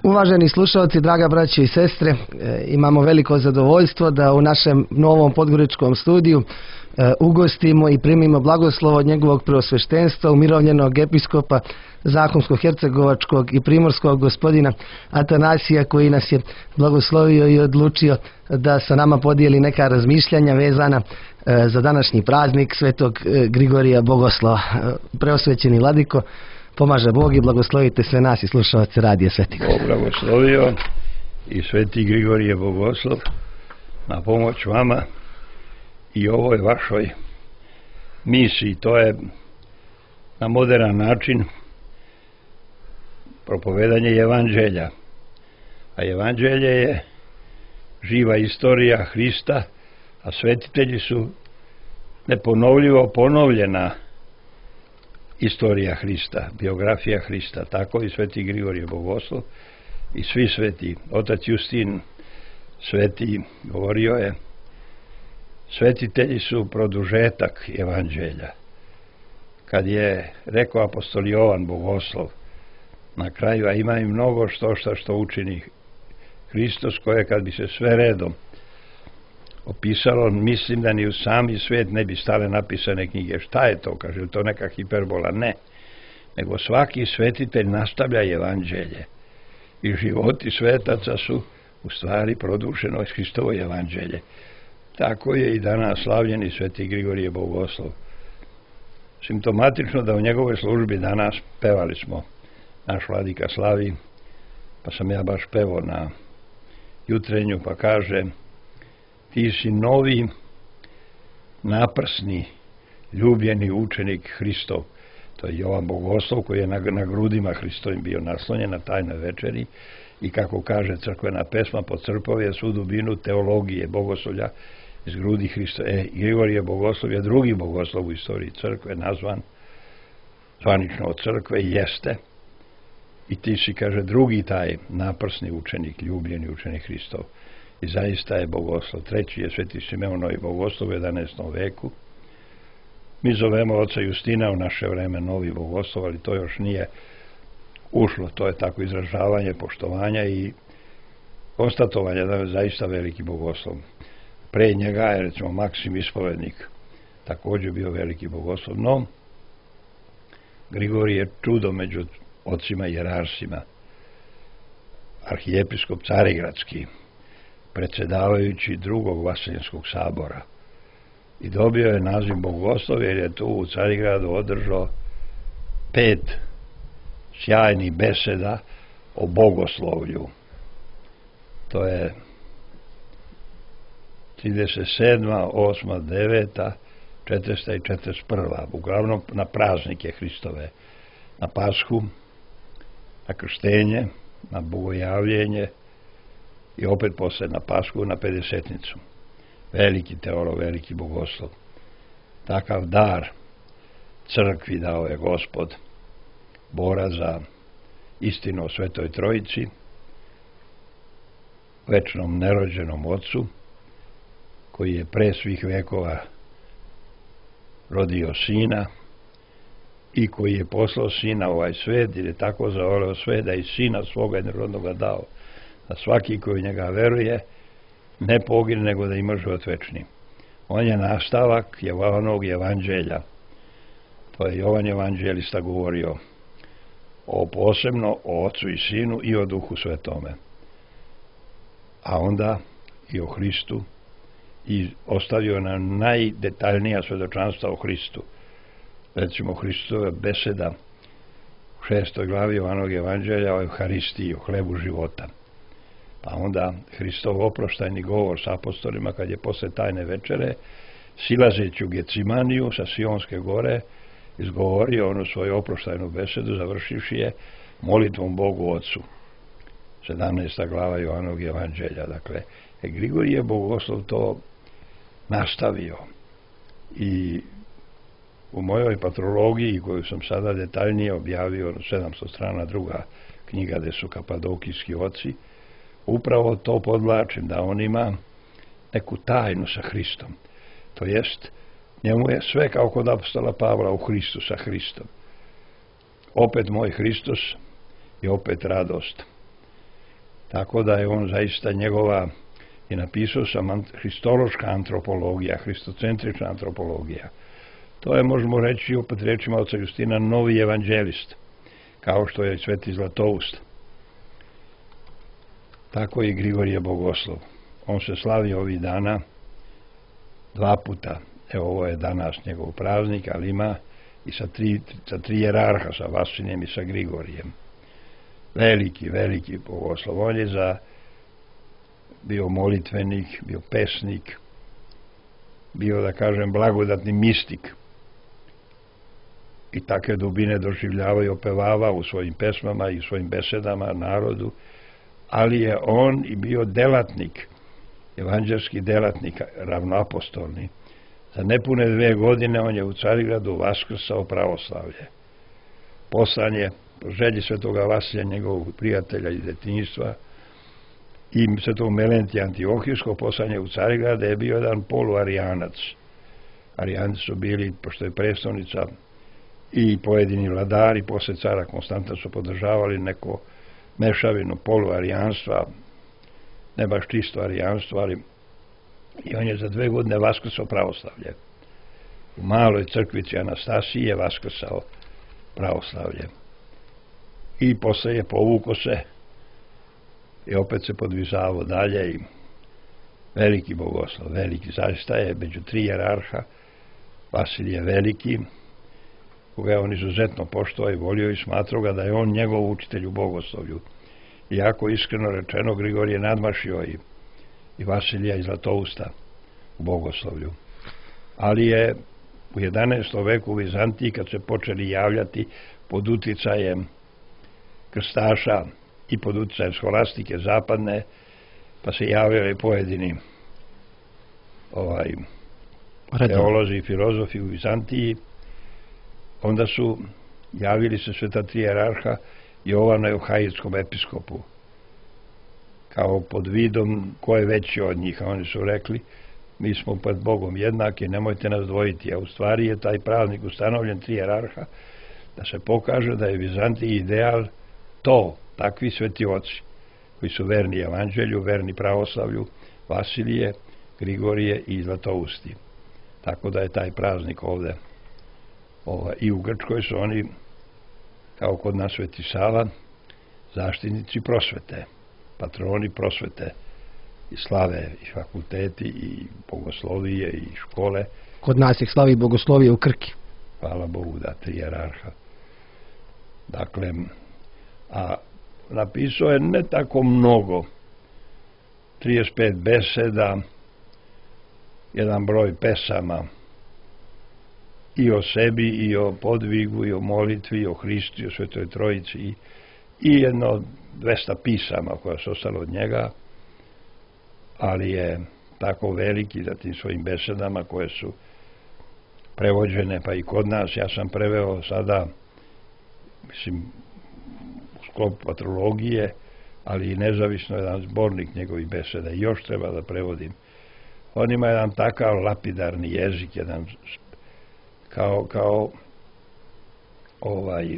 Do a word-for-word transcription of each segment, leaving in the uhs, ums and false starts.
Uvaženi slušalci, draga braće i sestre, imamo veliko zadovoljstvo da u našem novom podgoričkom studiju ugostimo i primimo blagoslovo od njegovog preosveštenstva, umirovljenog episkopa Zahumsko-hercegovačkog i primorskog gospodina Atanasija, koji nas je blagoslovio i odlučio da sa nama podijeli neka razmišljanja vezana za današnji praznik svetog Grigorija Bogoslova. Preosvećeni vladiko, pomaže Bog i blagoslovite sve nas i slušalce Radija Sveti Grigorije. Bog blagoslovio i Sveti Grigorije Bogoslov na pomoć vama i ovoj vašoj misiji. To je na modern način propovedanje evanđelja. A evanđelje je živa istorija Hrista, a svetitelji su neponovljivo ponovljena istorija Hrista, biografija Hrista. Tako i Sveti Grigorije Bogoslov i svi sveti. Otac Justin sveti govorio je: svetitelji su produžetak evanđelja. Kad je rekao apostol Jovan Bogoslov na kraju, a ima i mnogo što što što učini Hristos, koje kad bi se sve redom opisalo, mislim da ni u sami svet ne bi stale napisane knjige. Šta je to? Kaže, li to neka hiperbola? Ne. Nego svaki svetitelj nastavlja evanđelje. I životi svetaca su u stvari produšeno iz Hristovo evanđelje. Tako je i danas slavljeni Sveti Grigorije Bogoslov. Simptomatično da u njegovoj službi danas pevali smo naš vladika slavi, pa sam ja baš pevao na jutrenju, pa kaže: ti si novi, naprsni, ljubljeni učenik Hristov. To je Jovan Bogoslov, koji je na, na grudima Hristovim bio naslonjen na tajnoj večeri, i kako kaže crkvena pesma, podcrpao je svu dubinu teologije bogoslovlja iz grudi Hrista. E, Grigorije Bogoslov je drugi bogoslov u istoriji crkve, nazvan zvanično od crkve, jeste. I ti si, kaže, drugi taj naprsni učenik, ljubljeni učenik Hristov. I zaista je bogoslov. Treći je Sveti Simeonovi Bogoslov u jedanaestom veku. Mi zovemo oca Justina u naše vreme novi bogoslov, ali to još nije ušlo. To je tako izražavanje poštovanja i konstatovanje da je zaista veliki bogoslov. Pre njega je, recimo, Maksim Ispovednik također bio veliki bogoslov, no Grigorije je čudo među ocima i jerarsima. Arhijepiskop Carigradski, predsjedavajući drugog Vaseljenskog sabora, i dobio je naziv bogoslov jer je tu u Carigradu održao pet sjajnih beseda o bogoslovlju. To je trideset sedma, osma, deveta, četrdeseta i četrdeset prva. Uglavnom na praznike Hristove, na Pashu, na krštenje, na bogojavljenje i opet posle na Pashu, na pedesetnicu. Veliki teolog, veliki bogoslov. Takav dar crkvi dao je Gospod, bora za istinu o Svetoj Trojici, večnom nerođenom Otcu, koji je pre svih vekova rodio Sina i koji je poslao Sina u ovaj svet, jer je tako zavoleo svet da i Sina svoga jednorodnoga dao, da svaki koji u njega veruje ne pogine, nego da ima život večni. On je nastavak Jovanovog evanđelja. To je Jovan evanđelista govorio o posebno o Otcu i Sinu i o Duhu Svetome. A onda i o Hristu, i ostavio nam najdetaljnija svedočanstva o Hristu. Recimo, Hristova beseda u šestoj glavi Jovanovog evanđelja o Euharistiji, o hlebu života. Pa onda Hristov oproštajni govor s apostolima kad je posle tajne večere, silazeći u Gecimaniju sa Sionske gore, izgovorio onu svoju oproštajnu besedu, završivši je molitvom Bogu Otcu. sedamnaesta glava Jovanovog evanđelja. Dakle, e, Grigorije Bogoslov to nastavio. I u mojoj patrologiji, koju sam sada detaljnije objavio, sedamsto strana, druga knjiga gde su kapadokijski oci, upravo to podvlačim, da on ima neku tajnu sa Hristom. To jest, njemu je sve kao kod apostola Pavla u Hristu, sa Hristom. Opet moj Hristos i opet radost. Tako da je on zaista njegova, i napisao sam, hristološka antropologija, hristocentrična antropologija. To je, možemo reći, opet rečima oca Justina, novi evanđelist, kao što je Sveti Zlatoust. Tako i Grigorije Bogoslov. On se slavi ovih dana dva puta. Evo, ovo je danas njegov praznik, ali ima i sa tri, sa tri jerarha, sa Vasilijem i sa Grigorijem. Veliki, veliki Bogoslov. On je za bio molitvenik, bio pesnik, bio, da kažem, blagodatni mistik. I takve dubine doživljava i opevava u svojim pesmama i u svojim besedama narodu, ali je on i bio delatnik, evanđelski delatnik, ravnoapostolni. Za nepune dve godine on je u Carigradu vaskrsao pravoslavlje. Poslan je, po želji svetoga Vasilija, njegovog prijatelja iz detinjstva, i svetog Melentija Antiohijskog, poslan je u Carigrad, je bio jedan poluarijanac. Arijanci su bili, pošto je prestolnica, i pojedini vladari posle cara Konstanta su podržavali neko mešavinu poluarijanstva, ne baš čisto arijanstvo, ali i on je za dve godine vaskrsao pravoslavlje. U maloj crkvici Anastasiji je vaskrsao pravoslavlje. I posle je povuko se i opet se podvizavao dalje i veliki Bogoslov, veliki, zaista je među tri jerarha Vasilije Veliki, koga je on izuzetno poštovao i volio i smatrao ga da je on njegov učitelj u bogoslovlju. Iako, iskreno rečeno, Grigorije nadmašio i, i Vasilija i Zlatousta u bogoslovlju. Ali je u jedanaestom veku u Vizantiji, kad se počeli javljati pod uticajem krstaša i pod uticajem skolastike zapadne, pa se javljali pojedini ovaj, teolozi i filozofi u Vizantiji, onda su javili se sve ta tri jerarha Jovanu Euhajitskom episkopu, kao pod vidom ko je veći od njih, a oni su rekli, mi smo pred Bogom jednaki, nemojte nas dvojiti, a u stvari je taj praznik ustanovljen tri jerarha, da se pokaže da je Vizantiji ideal to, takvi sveti oci, koji su verni evanđelju, verni pravoslavlju, Vasilije, Grigorije i Zlatousti. Tako da je taj praznik ovde. Ova, i u Grčkoj su oni, kao kod nas Sveti Sava, zaštitnici prosvete, patroni prosvete i slave i fakulteti i bogoslovije i škole. Kod nas ih slavi bogoslovije u Krki. Hvala Bogu, da, tri jerarha. Dakle, a napisao je ne tako mnogo, trideset pet beseda, jedan broj pesama, i o sebi, i o podvigu, i o molitvi, i o Hristu, i o Svetoj Trojici, i, i jedno dvesta pisama koja su ostalo od njega, ali je tako veliki za tim svojim besedama koje su prevođene, pa i kod nas. Ja sam preveo sada, mislim, u sklopu patrologije, ali i nezavisno jedan zbornik njegovih beseda. I još treba da prevodim. On ima jedan takav lapidarni jezik, jedan kao, kao ovaj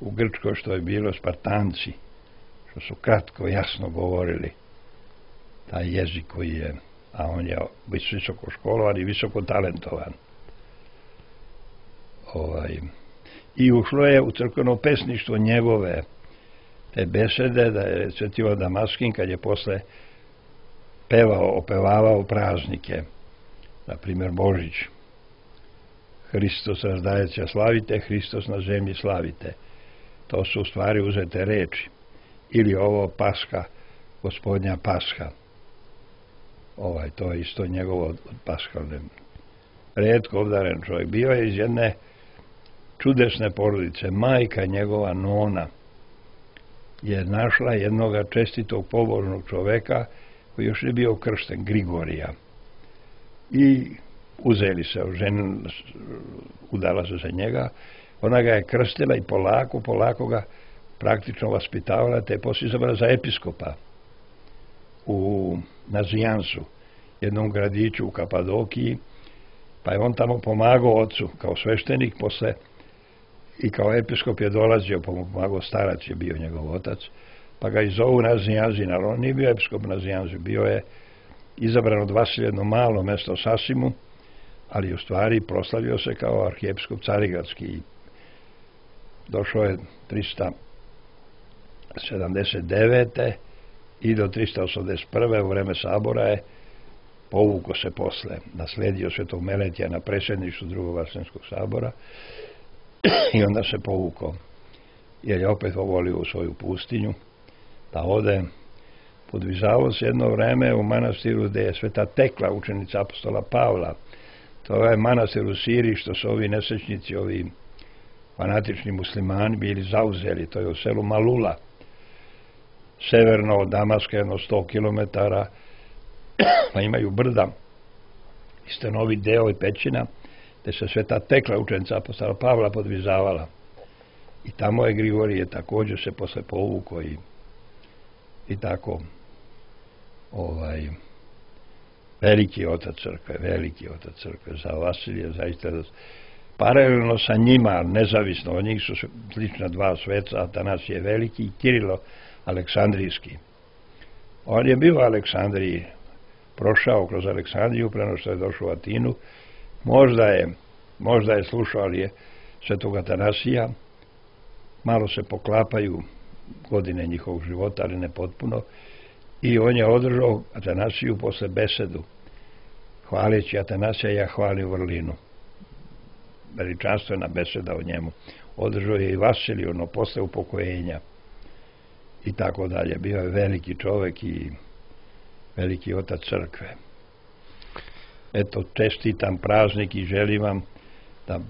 u Grčkoj što je bilo Spartanci, što su kratko, jasno govorili taj jezik koji je, a on je visoko školovan i visoko talentovan. Ovaj, i ušlo je u crkveno pesništvo njegove te besede, da je Sveti Ivan Damaskin, kad je posle pevao, opevavao praznike, na primjer Božić, Hristos razdajeća slavite, Hristos na zemlji slavite. To su u stvari uzete reči. Ili ovo Pasha, Gospodnja Pasha. Ovaj, to je isto njegovo od paskalne. Retko obdaren čovjek. Bio je iz jedne čudesne porodice. Majka njegova nona je našla jednoga čestitog pobožnog čoveka koji još je bio kršten, Grigorija. I uzeli se, ženu, udala se za njega, ona ga je krstila i polako, polako ga praktično vaspitavala, te je poslije izabrala za episkopa u Nazijansu, jednom gradiću u Kapadokiji, pa je on tamo pomagao ocu kao sveštenik, posle i kao episkop je dolazio, pomagao, starac je bio njegov otac, pa ga i zovu Nazianzin, ali on nije bio episkop Nazianzin, bio je izabran od Vasilja jedno malo mesto u Sasimu, ali u stvari proslavio se kao arhijepiskop Carigradski. Došao je trista sedamdeset devete i do trista osamdeset prve u vreme sabora je povukao se posle, nasledio Svetog Meletija na predsjedništvu drugog Vaseljenskog sabora i onda se povukao, jer je opet volio u svoju pustinju da ode. Podvizavao se jedno vreme u manastiru gde je Sveta Tekla, učenica apostola Pavla. To je manastir u Siriji što su ovi nesrećnici, ovi fanatični muslimani bili zauzeli. To je u selu Malula, severno od Damaska, jedno sto kilometara, pa imaju brda i stanovi deo i pećina, gde se Sveta Tekla, učenica apostola Pavla, podvizavala. I tamo je Grigorije također se posle povukao i, i tako ovaj veliki otac crkve, veliki otac crkve za Vasilija, zaista paralelno sa njima, nezavisno od njih su slična dva sveca, Atanasije Veliki i Kirilo Aleksandrijski. On je bio u Aleksandriji, prošao kroz Aleksandriju, preno što je došao u Atinu, možda je, možda je slušao, ali je Svetog Atanasija, malo se poklapaju godine njihovog života, ali ne potpuno, i on je održao Atanasiju posle besedu, hvaleći Atanasija, ja hvalim vrlinu. Veličanstvena beseda o njemu. Održao je i Vasilij, ono posle upokojenja i tako dalje. Bio je veliki čovek i veliki otac crkve. Eto, čestitam praznik i želim vam da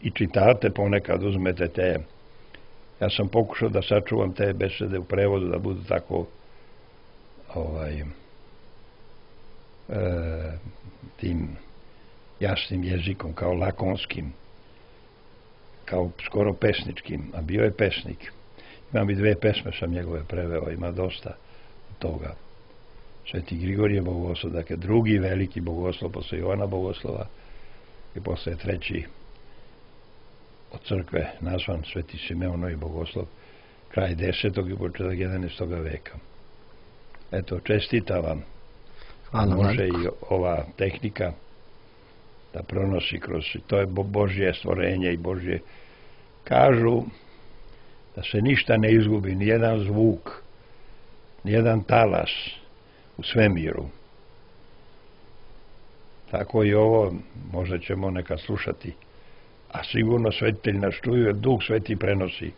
i čitate, ponekad uzmete te. Ja sam pokušao da sačuvam te besede u prevodu, da budu tako ovaj, e, tim jasnim jezikom, kao lakonskim, kao skoro pesničkim, a bio je pesnik. Imam i dve pesme sam njegove preveo, ima dosta toga. Sveti Grigorije bogoslov, dakle drugi veliki bogoslov posle Jovana Bogoslova i posle treći od crkve nazvan Sveti Simeon Novi Bogoslov, kraj desetog i početak jedanaestog veka. Eto, čestitam vam. Hvala, može i ova tehnika da pronosi kroz, to je Božje stvorenje i Božje. Kažu da se ništa ne izgubi, nijedan zvuk, nijedan talas u svemiru. Tako i ovo, možda ćemo nekad slušati, a sigurno svetitelj nas čuje, Duh Sveti prenosi.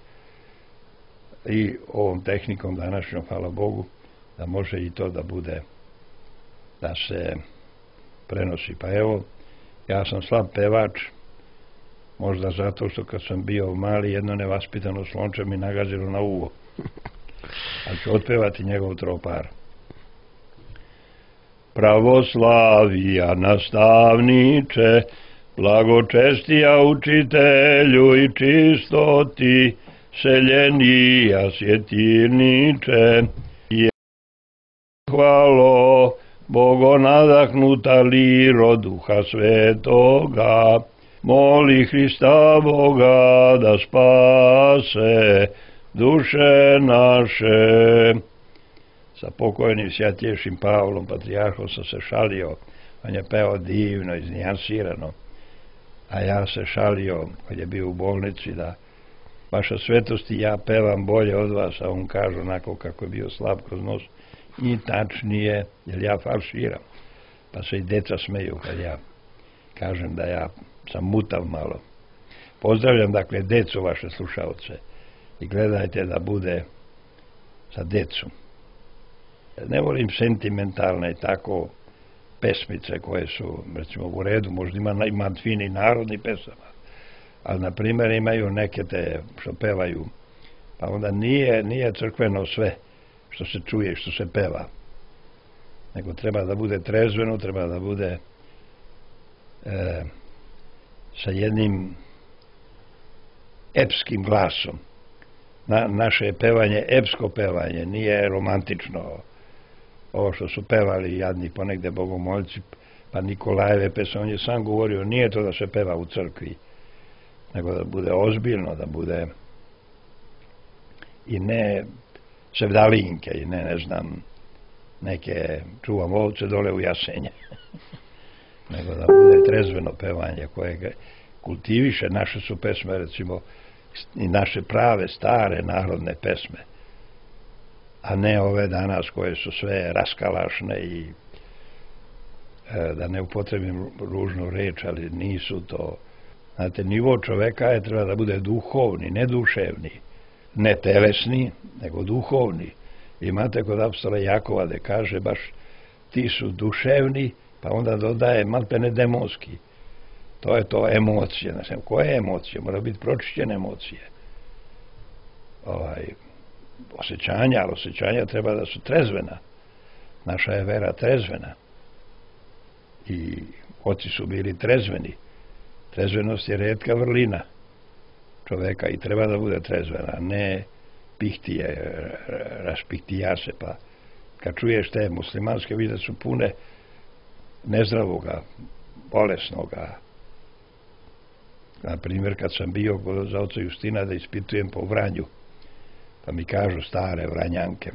I ovom tehnikom današnjom, hvala Bogu, da može i to da bude, da se prenosi. Pa evo, ja sam slab pevač, možda zato što kad sam bio mali, jedno nevaspitano slonče mi nagazilo na uvo. Ali ću otpevati njegov tropar. Pravoslavija nastavniče, blagočestija učitelju i čistoti, seljenija svjetirniče, je hvalo Bogo nadahnuta liro Duha Svetoga, moli Hrista Boga da spase duše naše. Sa pokojnim svjatješim Pavlom, patrijarhom, sam se šalio. On je peo divno, iznijansirano. A ja se šalio, kad je bio u bolnici, da vaša svetosti, ja pevam bolje od vas, a on kaže onako kako je bio slab kroz nos, i tačnije, jer ja falširam. Pa se i deca smeju kad ja kažem da ja sam mutav malo. Pozdravljam, dakle, decu, vaše slušalce, i gledajte da bude sa decom. Ne volim sentimentalne tako pesmice koje su, recimo, u redu, možda ima, ima fini narodni pesama, ali, na primjer, imaju neke te što pevaju, pa onda nije, nije crkveno sve što se čuje, što se peva, nego treba da bude trezveno, treba da bude e, sa jednim epskim glasom. Na, naše je pevanje epsko pevanje, nije romantično. Ovo što su pevali jadni ponegde bogomoljci, pa Nikolajeve pesme, on je sam govorio, nije to da se peva u crkvi, nego da bude ozbiljno, da bude i ne sevdalinke i ne, ne znam, neke čuvam ovce dole u Jasenje. Nego da bude trezveno pevanje koje kultiviše. Naše su pesme, recimo, i naše prave, stare, narodne pesme, a ne ove danas koje su sve raskalašne i e, da ne upotrebim ružnu reč, ali nisu to. Znate, nivo čoveka je treba da bude duhovni, ne duševni, ne telesni, nego duhovni. Imate kod apostola Jakova da kaže baš ti su duševni, pa onda dodaje maltene demonski. To je to emocije. Ne znam, koje emocije? Mora biti pročišćene emocije. Ovaj, osjećanja, ali osjećanja treba da su trezvena. Naša je vera trezvena. I oci su bili trezveni. Trezvenost je retka vrlina čoveka i treba da bude trezvena, ne pihtije, raspihtija se, pa kad čuješ te muslimanske vide su pune nezdravoga, bolesnoga. Na primjer, kad sam bio kod oca Justina da ispitujem po Vranju, pa mi kažu stare Vranjanke,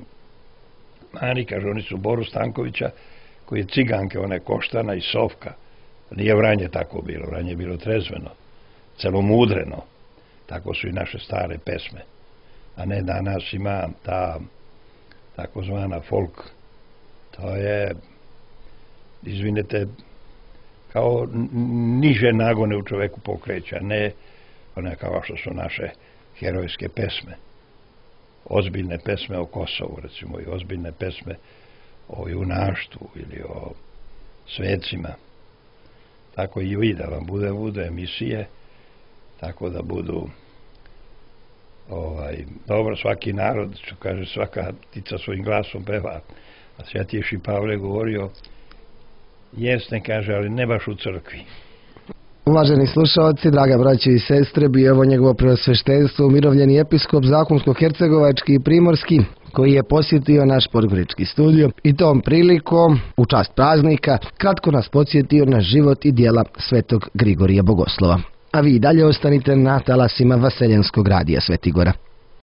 mani, kažu, oni su Boru Stankovića, koji je ciganke, one Koštana i Sofka. Nije Vranje tako bilo, Vranje je bilo trezveno, celomudreno. Tako su i naše stare pesme. A ne danas ima ta takozvana folk. To je, izvinite, kao niže nagone u čoveku pokreća, ne one kao što su naše herojske pesme. Ozbiljne pesme o Kosovu, recimo, i ozbiljne pesme o junaštvu ili o svecima. Tako i vi da vam bude, bude emisije, tako da budu ovaj, dobro, svaki narod, što kaže, svaka ptica svojim glasom peva. A Svetijši Pavle govorio, jesne, kaže, ali ne baš u crkvi. Uvaženi slušalci, draga braće i sestre, bio je ovo njegovo preosveštenstvo, umirovljeni episkop Zakonsko-hercegovački i primorski, koji je posjetio naš podgorički studio i tom prilikom, u čast praznika, kratko nas podsjetio na život i djela svetog Grigorija Bogoslova. A vi dalje ostanite na talasima Vaseljenskog radija Svetigora.